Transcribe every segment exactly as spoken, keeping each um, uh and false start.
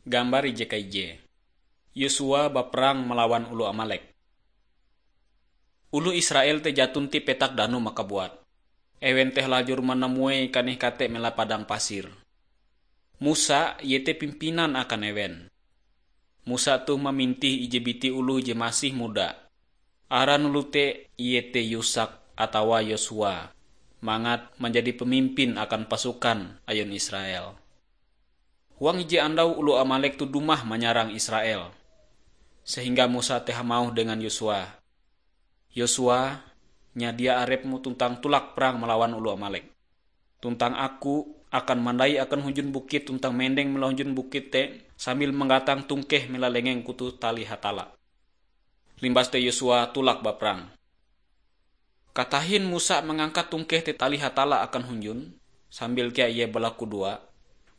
Gambar ije kaije. Yosua baperang malawan oloh Amalek. Oloh Israel te jaton ti petak danum makabuat. Ewen te halajur manamuei kaneh kate mela padang pasir. Musa iete pimpinan akan ewen. Musa toh mamintih ije biti oloh je masih muda. Aran oloh te iete Yusak atawa Yosua, mangat manjadi pemimpin akan pasukan ayun Israel. Huang ije andau oloh Amalek toh dumah manyarang Israel. Sehingga Musa te hamauh dengan Yosua, "Yosua, nyadia arepmu tuntang tulak perang malawan oloh Amalek. Tuntang aku akan mandai akan hunjun bukit tuntang mendeng mela hunjun bukit te sambil manggatang tungkeh mela lengeng kutu tali Hatalla." Limbas te Yosua tulak baperang. Katahin Musa mangangkat tungkeh te tali Hatalla akan hunjun, sambil kea ie balakudoa,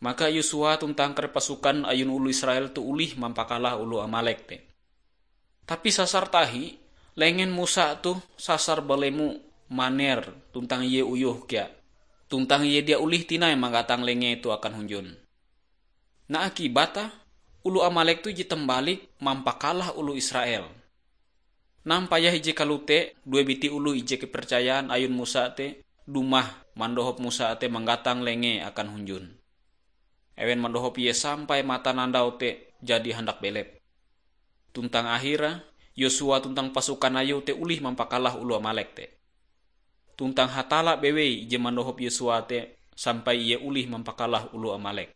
maka Yosua tuntang kare pasukan ayun oloh Israel toh olih mampakalah oloh Amalek te. Tapi sasar tahi, lengen Musa toh sasar balemo maner tuntang ie uyoh kea. Tuntang ie dia olih tinai manggatang lengee toh akan hunjun. Nah, akibat ah, oloh Amalek toh ije tembalik mampakalah oloh Israel. Nampayah ije kalote, due biti oloh ije kepercayaan ayun Musa te dumah mandohop Musa te manggatang lengee akan hunjun. Ewen mandohop ie sampai matanandau te jadi handak belep. Tuntang ahire, Yosua tuntang pasukan ayue te olih mampakalah oloh Amalek te. Tuntang Hatalla bewei ije mandohop Yosua te sampai ie olih mampakalah oloh Amalek.